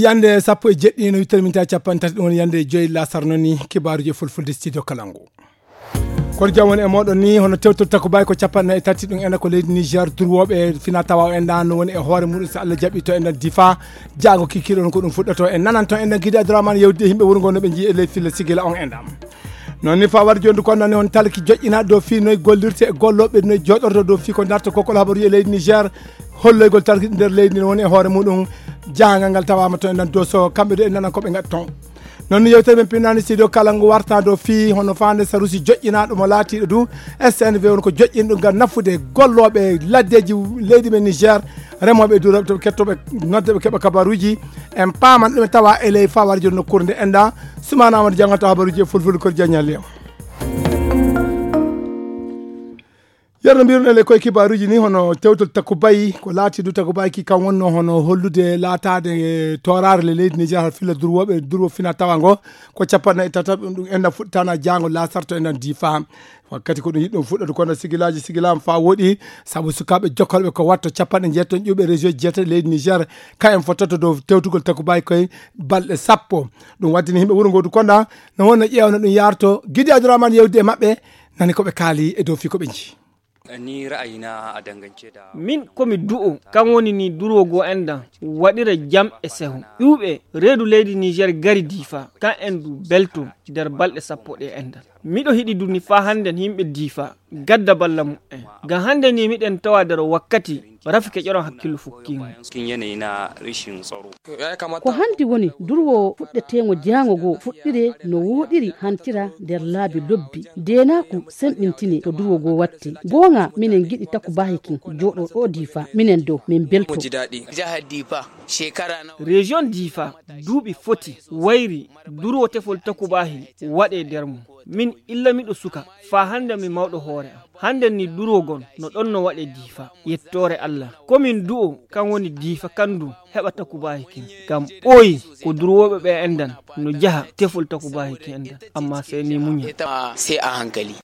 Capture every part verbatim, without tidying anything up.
Yande sappo e jeɗɗi no wittere min ta capanɗe tati, ɗum woni yande joyi lasar noon ni, kibaaruji e fulfulde studio Kalangu. Kono jam woni e mooɗon ni, hono tewtol takko bayi ko capanɗe nayi e tati, ɗum ena ko leydi Niger, durwooɓe fina tawa o enɗan no woni e hoore muɗum, so Allah jaɓi to enɗan Difa, jaango kikiiɗo on ko ɗum fuɗɗoto. En nanan to enɗan Gidi Abdourahmane yewtide e yimɓe wuro ngo no ɓe njii e ley filla sigila on enɗan. Noon ni fa waɗi jooni ko nani on talki joƴƴinaaɗo dow fii noy gollirte e gollooɓe noy jooɗorto dow fii ko darta kokkol habaruji e leydi Niger, holloygol talki nder leydi no woni e hoore muɗum, jahangal ngal tawaama to enɗan Doso, kamɓe ɗo en nanan ko ɓe ngaɗi toon. Noon ni yewtere men pinnaani studio kala ngu warta dow fii hono faande sarusi joƴƴinaaɗo mo laatiiɗo du S N V woni ko joƴƴinɗo ngam nafude gollooɓe laddeeji leydi men Niger, remooɓe e durooɓe to ɓe kettoɓe nodde ɓe keɓa kabaruuji. En paaman ɗum e tawa e ley fawar jooni nokkuure nde enɗan. Sumaana Amadou jannganto habaruuji e fulfulde ko jaññal yam. Yerno mbiruɗen e koye kibaaruuji ni hono tewtol Takubayi, ko laati du Takubayi ki kam wonno hono hollude laataade e tooraare le leydi Niger har filla durwooɓe, durwo fina tawa ngo ko capanɗe e tataɓe ɗum, ɗum enɗan fuɗɗitaana jaango lasarto enɗan Difa. Wakkati ko ɗum yiɗɗum fuɗɗoto kono sigilaaji sigilaama fa woɗi, sabu sukaaɓe jokkorɓe ko watto capanɗe jeetati ƴuuɓe région jeetati leydi Niger, ka en fottoto dow tewtugol Takubayi koye balɗe sappo. Ɗum waddini yimɓe wuro ngo du konɗa, no wonno ƴeewno ɗum yarto. Gidi Abdourahmane yewdi e maɓɓe, nani ko ɓe kaali e dow fii ko ɓe njii. Ni ra'ayina a dangance da min komi du'o kan woni ni durwo go enɗan waɗira jam e seho ƴuuɓe reedu leydi Niger gari Difa kan en du belto nder balɗe sappo ɗe enɗan. Miɗo hiɗi du ni fa hannden yimɓe Difa gadda balla mu'en. Ngam hannde ni miɗen tawa nder wakkati rafi keƴoran hakkillo fukkiingo. Ko hanti woni durwo fuɗɗeteeŋo jaango go fuɗɗire no wooɗiri hantira nder laabi lobbi. Deenaaku semɓintine to durwo go watte. Gooŋa minen giɗi Takubahi kin jooɗo ɗo Difa. Minen dow min belto. Région Difa duuɓi foti wayri durwo tefol Takubahi waɗe nder mum. Min illa miɗo suka, faa hannde mi mawɗo hoore am. Hannde ni durwo gon no ɗon no waɗe Difa. Yettoore Allah. Ko min du'o kan woni Difa kan du heɓa Takubahi kin. Ngam ɓooyi ko durwooɓe ɓe enɗan no jaha tefol Takubahi kin enɗan. Amma sey ni muñal. Sey a hankali.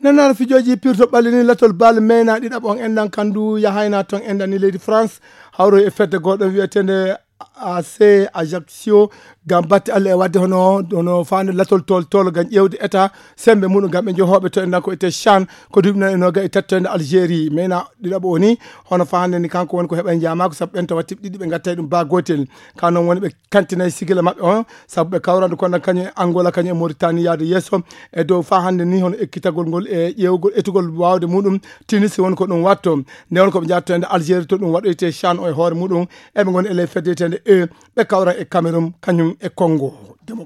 Nanaara fijooji pirto ɓalli ni latol bal meyna ɗiɗaɓo on enɗan kan du yahayna ton enɗan ni leydi France. Hawro e fedde goɗɗo wi'eteende A C Ajaccio ngam batte Allah e waɗde hono, hono faande latol tol, tol ngam ƴeewde état sembe muɗum ngam ɓe njohooɓe to enɗan ko ete CHAN ko duuɓi nayi e noga e tati to enɗan Algérie. Meyna ɗiɗaɓo o ni hono faande ni kanko woni ko heɓa njaamaako sabu ɓen tawa tiɓɗiɗi ɓe ngattay ɗum ba gootel. Ka noon woni ɓe kantinay sigila maɓɓe on sabu ɓe kawrandu kono kañum e Angola kañum e Mauritanie yaade yeeso e dow fa hannde ni hono ekkitagol ngol e ƴeewgol etugol waawde muɗum Tunis woni ko ɗum watto. Nde won ko ɓe njatto e nde Algérie to ɗum waɗoyte CHAN o e hoore muɗum. Eɓe ngoni e ley fedde wiyetende E. Ɓe kawra e Cameroun kañum e Congo. Demo-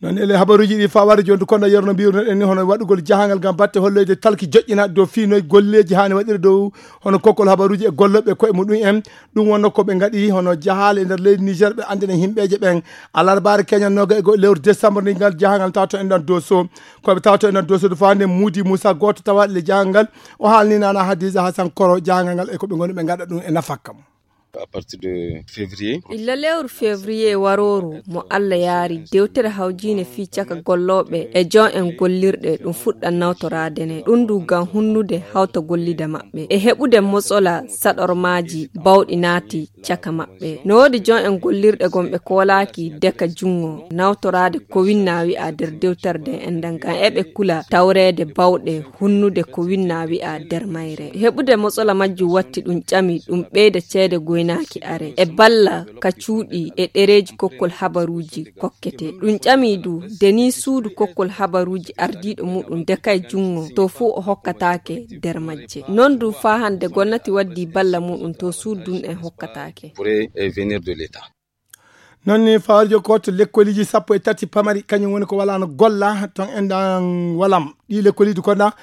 Noon ele habaruuji ɗi fawaade jooni kono yerno mbiruno en ni hono waɗugol jahangal ngam batte holloyde talki joƴƴinaaɗe dow fii noy golleeji haani waɗire dow hono kokkol habaruuji e gollooɓe koye muɗum en. Ɗum wonno ko ɓe ngaɗi hono jahaale e nder leydi Niger ɓe anndina himɓeeje ɓen. Alarbaare keñan noga e go lewru décembre ni ngal jahangal tawto en ɗan Doso. Ko ɓe tawto en ɗan Doso ɗo faande Mudi Moussa gooto tawa le jahangal o haalni nana Hadiza Hassan Koro jahangal ngal e ko ɓe ngoni ɓe ngaɗa ɗum e nafakka mum. À partir de février. Illa lewru février warooru mo Allah yaari dewtere hawjiinde fii caka gollooɓe e jon en gollirɗe ɗum fuɗɗa nawtoraade ne ɗum du ngam hunnude hawta gollida maɓɓe e heɓude mosola saɗormaaji bawɗi naati caka maɓɓe. No woodi jon en gollirɗe gon ɓe koolaaki deka junngo nawtoraade ko winna wi'a nder dewtere nde enɗan ngam eɓe kula tawreede bawɗe hunnude ko winna wi'a nder mayre. Heɓude mosola majjum watti ɗum ƴami ɗum ɓeyda ceede goynaaki are e balla ka cuuɗi e ɗereeji kokkol habaruuji kokkete. Ɗum ƴami du de ni suudu kokkol habaruuji ardiiɗo muɗum dekay junngo to fuu o hokkataake nder majje. Non du faa hannde gonnati waddi balla muɗum to suudu ɗum en hokkataake. Pourrait, eh, venir de l'État. Noon ni fawrijo gooto lekkoliji sappo e tati pamari kañum woni ko walaano golla toon enɗan walam. Ɗi lekkoliji konda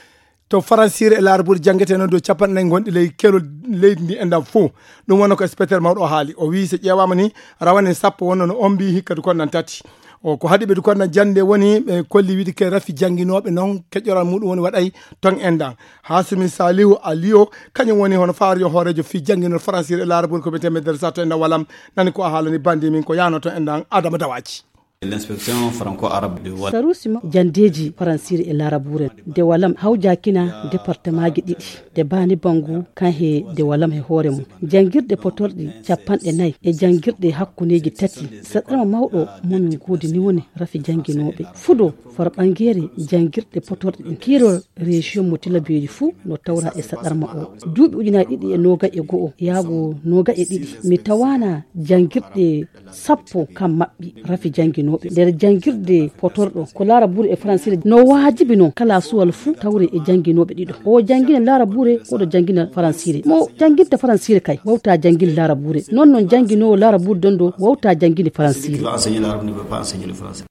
to Faransire e Laarbuuri janngetee noon dow capanɗe nayi gonɗi ley kelol leydi ndi enɗan fof. Ɗum wonno ko inspecteur mawɗo o haali. O wiyi so ƴeewaama ni rawane sappo wonno no ombi hikka du kondan tati. O ko haɗi ɓe du kondan jannde woni ɓe kolli wiide ke rafi jannginooɓe noon keƴoral muɗum woni waɗay toon enɗan. Hasumi Salihu Aliyo kañum woni hono fawrijo hooreejo fii jannginol Faransire e Laarbuuri ko wiyetee Medresa to enɗan walam. Nani ko a haalani bandi min ko yaano to enɗan Adama Dawaji. L'inspection franco-arabe de Wal- Sarusi ma jandeeji faransiire e laarabuure de walam hawjaakina departemaaji ɗiɗi de baani bangu kan he de walam he hoore mum. Janngirɗe potorɗi capanɗe nayi e janngirɗe hakkundeeji tati. Saɗɗarma mawɗo momin goodi ni woni rafi jannginooɓe. Fudo farɓangeere janngirɗe potorɗe ɗin. Kiirol région mo tilabeeji fuu no tawra e saɗɗarma o. Duuɓi ujunaaji ɗiɗi e noogay e go'o yaago noogay e ɗiɗi. Mi tawaana janngirɗe sappo kam maɓɓi rafi jannginooɓe. Nder janngirde potorɗo ko laarabuure e faransiire no waajibi non kala suwal fuu tawre e jannginooɓe ɗiɗo. O janngina laarabuure, oɗo janngina faransiire. Mo jannginta faransiire kay wawta janngin laarabuure. Non non jannginoowo laarabuure dondo wawta janngini faransiire. Celui qui va enseigner l'arabe ne peut pas enseigner le français.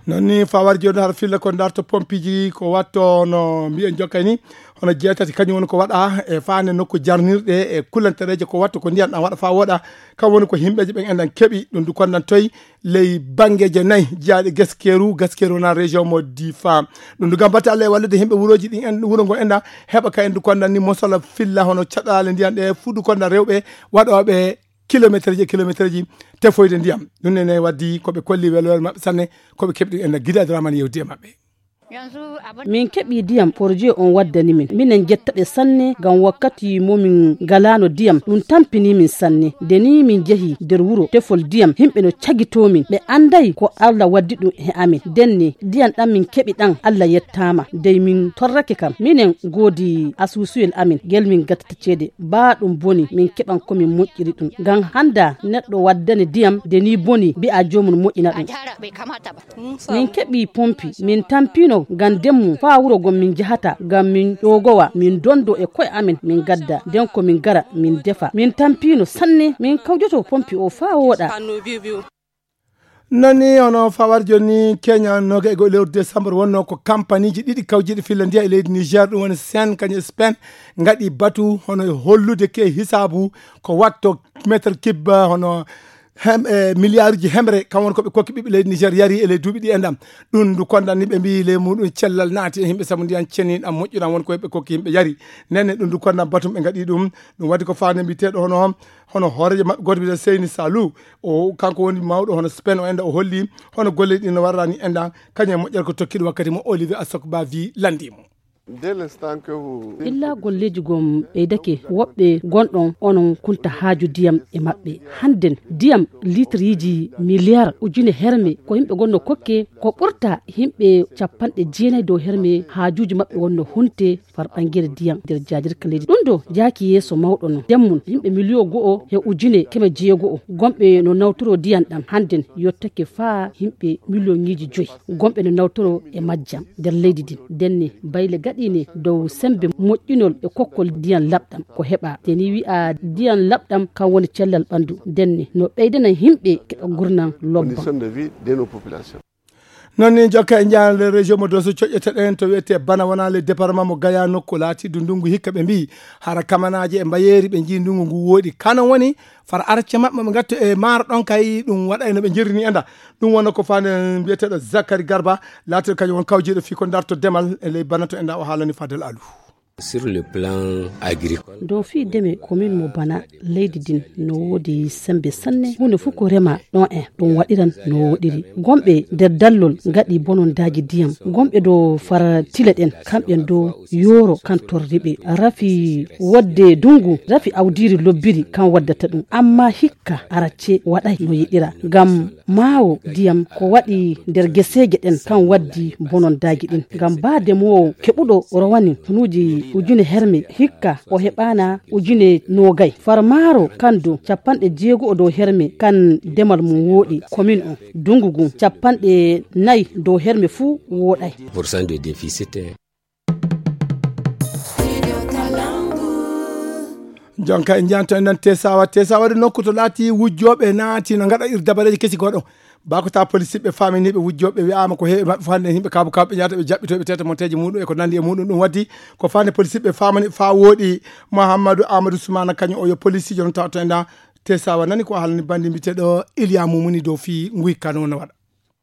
Non ni fawar joni har filla ko darto pompiji ko watto no mbiyen jokkay ni hono jeetati kañum woni ko waɗa e faande nokku jarnirɗe e kulantereeje ko watto ko ndiyan ɗan waɗa fa woɗa. Kam woni ko himɓeji ɓen enɗan keɓi ɗum du kondan toy ley banngeeje nayi jeyaaɗe gaskeeru gaskeeru wona région mo difa. Ɗum du gam batte allah e wallude himɓe wuroji ɗin en wuro ngo enɗan heɓa ka en du kondan ni mosala filla hono caɗale ndiyan ɗe fuu du kondan rewɓe waɗooɓe kilometre ji e kilometre ji tefoyde ndiyam. Ɗum nene waddi ko ɓe kolli weloore maɓɓe sanne ko ɓe keɓɗi en gida dramani yewdi e maɓɓe. Min keɓi diyam porje on waddani min minen jettaɓe sanne ngam wakkati momin ngalano diyam ɗum tampini min sanne. Nde ni min jehi nder wuro tefol diyam himɓe no cagito min ɓe anday ko allah waddi ɗum he amin. Ndenne diyam ɗam min keɓi ɗam allah yettama dey min torrake kam minen godi asusuyel amin ngel min gattata ceede ba ɗum boni min keɓan komin moƴƴiri ɗum. Ngam handa neɗɗo waddane diyam nde ni boni mbi'a jomum moƴƴina ɗum. Min keɓi pompi min tampino ngam demmu faa wuro gom min jahata ngam min ƴoogowa min dondo e ko'e amen min gadda nden ko min gara min defa min tampino sanne min kawjoto pompi o faa wooɗa. Non ni hono fawar joni kenya noga e goo lewru décembre wonno ko kampaniji ɗiɗi kawjiɗi filla ndiya e leydi niger ɗum woni sen kañum e spain ngaɗi batu hono e hollude ke hisabu ko watto métre kibba hono hem e milliarduji hemre kam woni ko ɓe kokki ɓiɓɓe leydi niger yari e ley duuɓi ɗi e ndam. Ɗum ndu kondanni ɓe mbi ley muɗum cellal naati e yimɓe sabu ndiyan ceniɗan moƴƴuɗan woni koye ɓe kokki yimɓe yari. Nenne ɗum ndu kondan batum ɓe ngaɗi ɗum. Ɗum waɗi ko fande mbiteɗo hono hono hoorejo maɓɓe goto mbiyete seyni salou o kanko woni mawɗo hono spain o enda o holli hono golle ɗi no warrani endan kañum e moƴƴere ko tokkiɗo wakkati mo olivier asokba vi landimo. Illa golleeji gom ɓeydake woɓɓe gonɗon onon kunta haaju diyam e maɓɓe. Hannden diyam litriiji miliyar ujune herme ko yimɓe gonno kokke ko ɓurta yimɓe capanɗe jeenayi dow herme haajuuji maɓɓe wonno hunte farɓangere diyam nder jaajirka leydi ɗum ɗo jaaki yeeso mawɗo no ndemmun yimɓe miliyo go'o he ujune keme jeego'o gomɓe no nawtoro diyam ɗam hannden yottake faa yimɓe miliyoŋiiji joyi gomɓe no nawtoro e majjam nder leydi ndin ndenne bayle gaɗiine dow sembe moƴƴinol e kokkol diyam laɓɗam ko heɓa te ni wi'a diyam laɓɗam kam woni cellal ɓanndu ndenne no ɓeydana yimɓe keɓa gurnam lobba. Non ni jokka e njaande région mo doso coƴƴete ɗen to wiyete bana wona le département mo gaya nokku laati du ndungu hikka ɓe mbi hara kamanaaji e mbayeeri ɓe njii ndungu ngu wooɗi kanon woni fara arce maɓɓe ɓe ngattu e maaro ɗon kay ɗum waɗa e no ɓe jirrini enda. Ɗum wona ko fande mbiyeteɗo zakari garba laatiɗo kañum won kawjiɗo fii ko darto demal e ley bana to enda o haalani fadel alu. Sur le plan agricole dow fii deme komin mo bana leydi din no woodi sembe sanne huunde fof ko rema ɗon en ɗum waɗiran no woɗiri gomɓe nder dallol ngaɗi bonondaaji diyam gomɓe dow fara tile ɗen kamɓen dow yooro kan torriɓe rafi wodde dungu rafi awdiri lobbiri kan waddata ɗum amma hikka aracce waɗay no yiɗira ngam maawo diyam ko waɗi nder geseeje ɗen kan waddi bonondaaji ɗin ngam baa demoowo keɓuɗo rowani tunuuji ujune herme hikka o heɓaana ujune noogay farmaaro kan dow capanɗe jeego'o dow herme kan demal mum wooɗi komin on dungu ngun capanɗe nayi dow herme fuu wooɗay. Pourcent de déficit. Jonka e njanto en nan tesawa tesawa de nokku to laati wujjooɓe naati no ngaɗa ir dabareeji kesi goɗo. Bakota polisiɓe faminiɓe wujjooɓe wi'ama ko heewi maɓɓe fande yimɓe kabu kabu ɓe jata ɓe jaɓɓitoɓe tete monteji muɗum e ko nandi e muɗum ɗum waddi ko fande polisiɓe famani fa wooɗi. Mouhamadou amadou soumana kañum o yo polisijo no tawto e nda tesawa nani ko halani bandi mbiteɗo iliya mumuni dow fi nguy kano no waɗa.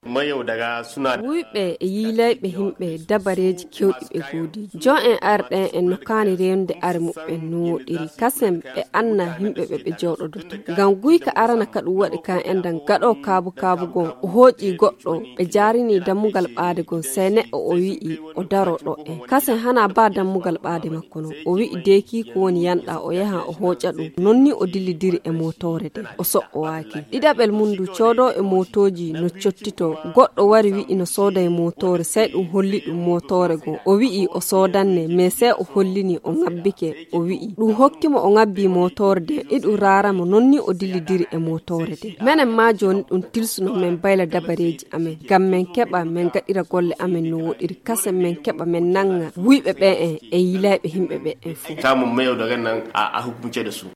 Wuyɓe e yiilayɓe himɓe dabareeji kewɗi ɓe goodi. Jon en arɗen en no kaani rewnude are muɓɓen no woɗiri. Kasen ɓe anna himɓe ɓe ɓe jooɗodoto. Ngam guyka arana ka ɗum waɗi kan endan gaɗo kaabu kaabu gon. O hooƴi goɗɗo ɓe jaarini dammugal ɓaade gon. Sey neɗɗo o wi'i o daro ɗo en. Kasen hana ba dammugal ɓaade makko non. O wi'i deeki ko woni yanɗa o yaha o hooƴa ɗum. Non ni o dillidiri e mootoore de. O soɓɓowaaki. Ɗiɗaɓel mum ndu coodo e mootooji no cottito. Goɗɗo wari wi'i no sooda e mootoore. Sey ɗum holli ɗum mootoore go. O wi'i o soodanne, mais sey o hollini o ngabbike. O wi'i ɗum hokki mo o ngabbi mootoore de. Iɗum raara mo non ni o dillidiri e mootoore de. Menen ma jooni ɗum tilsuno men bayla dabareeji amen. Ngam men keɓa men gaɗira golle amen no woɗiri. Kasen men keɓa men nanga wuyɓe ɓe en e yiilayɓe himɓe ɓe en fof. Tamu meyo daga nan a, a hukunce da su.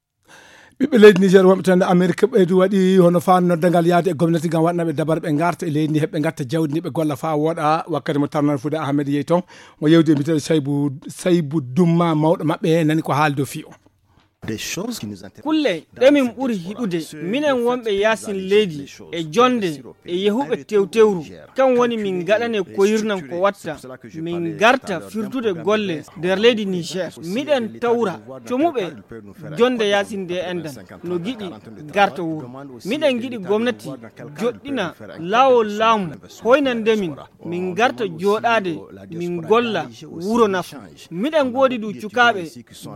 Ɓiɓɓe leydi Niger wonɓe tan Amerique ɓeydu waɗi hono faan noddangal yaade e gomnati ngam waɗanaɓe dabar ɓe ngarta e leydi ndi heɓe ngatta jawdi ndi ɓe golla faa wooɗa. Wakkati mo tarnan fude Ahmed yehi toon mo yewdi e mbiteɗo Saybu Saybu Dumma mawɗo maɓɓe nani ko haaldo fiyo. Kulle ɗe min ɓuri hiɗude minen wonɓe yaasin leydi e jonde e yehuɓe tewtewru. Kan woni min ngaɗane koyirnan ko watta min ngarta firtude golle nder leydi Niger. Miɗen tawra comuɓe jonde yaasin nde endan no giɗi garta wuro. Miɗen giɗi gomnati joɗɗina laawol laamu hoynande min min ngarta jooɗaade min golla wuro nafa. Miɗen ngoodi du cukaaɓe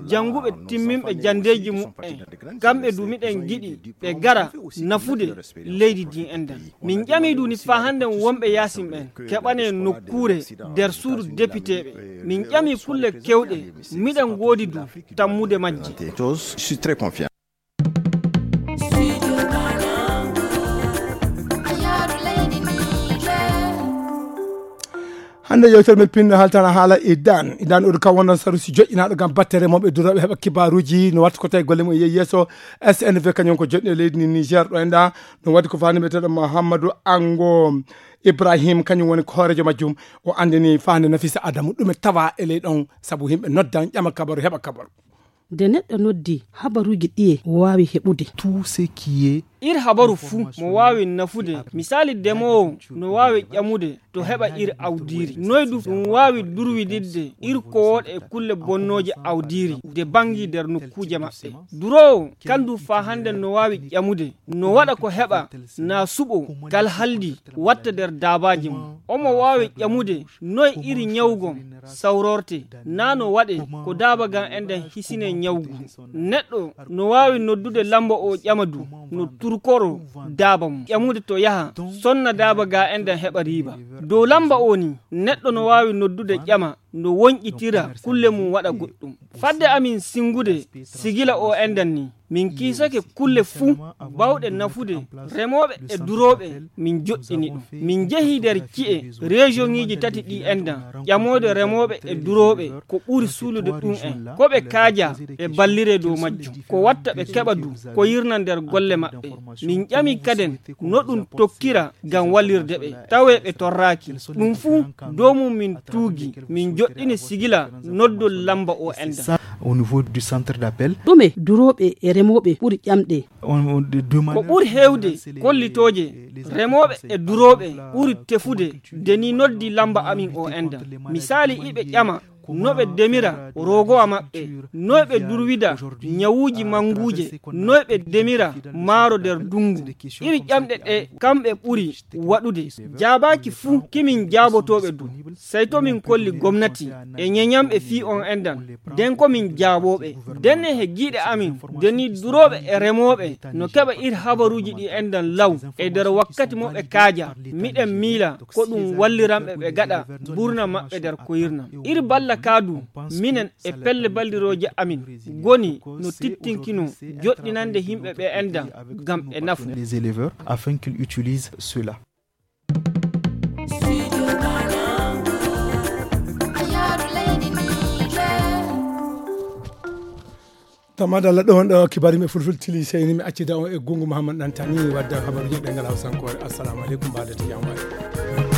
jannguɓe timminɓe janndeeji muɓɓen. Kamɓe du miɗen giɗi ɓe gara nafude leydi ndi endan. Min ƴami du ni faa hannden wonɓe yaasin ɓen keɓane nokkuure nder suudu depiteeɓe. Min ƴami kulle kewɗe miɗen ngoodi du tammude majje. Hannde yewtere men pinno haltana haala idan idan oɗo kam wonno sarusi joƴƴinaaɗo ngam batte remooɓe durooɓe heɓa kibaaruuji no watta ko tawi golle mum e yehi yeeso. S N V kañum ko joɗɗi e leydi ni Niger ɗo enɗa. Ɗum waɗi ko fani mbiyeteɗo Mouhamadou Ango Ibrahim kañum woni ko hoorejo majjum. O andini fande Nafisa Adamu ɗume tawa e ley ɗon sabu yimɓe noddan ƴama kabaru heɓa kabaru. Nde neɗɗo noddi habaruuji ɗiye o waawi heɓude? Tout ce qui est ir habaru fuu mo waawi nafude. Misaali demoowo no waawi ƴamude to heɓa ir awdiiri noy du ɗum waawi durwididde ir kowooɗe e kulle bonnooje awdiiri de banngi nder nokkuuje maɓɓe. Duroowo kan du faa hannden no waawi ƴamude no waɗa ko heɓa na suɓo kal haldi watta nder daabaaji mum. Omo waawi ƴamude noy iri ñawgon sawrorte na no waɗe ko daaba gan enɗen hisine ñawgu. Neɗɗo no waawi noddude lamba o ƴama du no turkoro daaba mum ƴamude to yaha sonna daaba ga enɗen heɓa riiba. Dow lamba o ni neɗɗo no waawi noddude ƴama no wonƴitira kulle mum waɗa goɗɗum. Fadde amin singude sigila o enɗan ni min kiisake kulle fuu bawɗe nafude remooɓe e durooɓe. Min joɗɗini ɗum min jehi nder ci'e region ŋiji tati ɗi enɗan ƴamoode remooɓe e durooɓe ko ɓuri suulude ɗum en ko ɓe kaaja ɓe ballire dow majjum ko watta ɓe keɓa du ko yirna nder golle maɓɓe. Min ƴami kaden no ɗum tokkira ngam wallirde ɓe tawe ɓe torraaki. Ɗum fuu dow mum min tuugi min joɗɗini sigila noddol lamba o enɗan. Au niveau du centre d'appel. Ɗume durooɓe e remooɓe ɓuri ƴamɗe? Ko ɓuri heewde kollitooje remooɓe e durooɓe ɓuri tefude de ni noddi lamba amin o enɗan. Misaali iɓe ƴama no ɓe demira rogowa maɓɓe, no ɓe durwida ñawuuji mannguuje, no ɓe demira maaro nder dunngu. Iri ƴamɗe ɗe kamɓe ɓuri waɗude. Jaabaaki fuu kimin jaabotooɓe du. Sey to min kolli gomnati e ñeñamɓe fii on enɗan. Den ko min jaabooɓe. Den e he giiɗe amin. Den ni durooɓe e remooɓe no keɓa ir habaruuji ɗi enɗan law e nder wakkati mo ɓe kaaja. Miɗen miila ko ɗum walliranɓe ɓe gaɗa burna maɓɓe nder koyirnam. Ir balla kaa du minen e pelle ballirooje amin goni no tittinkino joɗɗinande yimɓe ɓe enɗan ngam ɓe nafu. Les éleveurs afin qu'ils utilisent cela. Tamadalla ɗo wonɗo kibari me fulful tili seyni mi accida on e gungu Mouhammad Dantani wadda habaruji ɗengal hawsankoore. Assalamu aleykum, mbaɗete jam waɗi.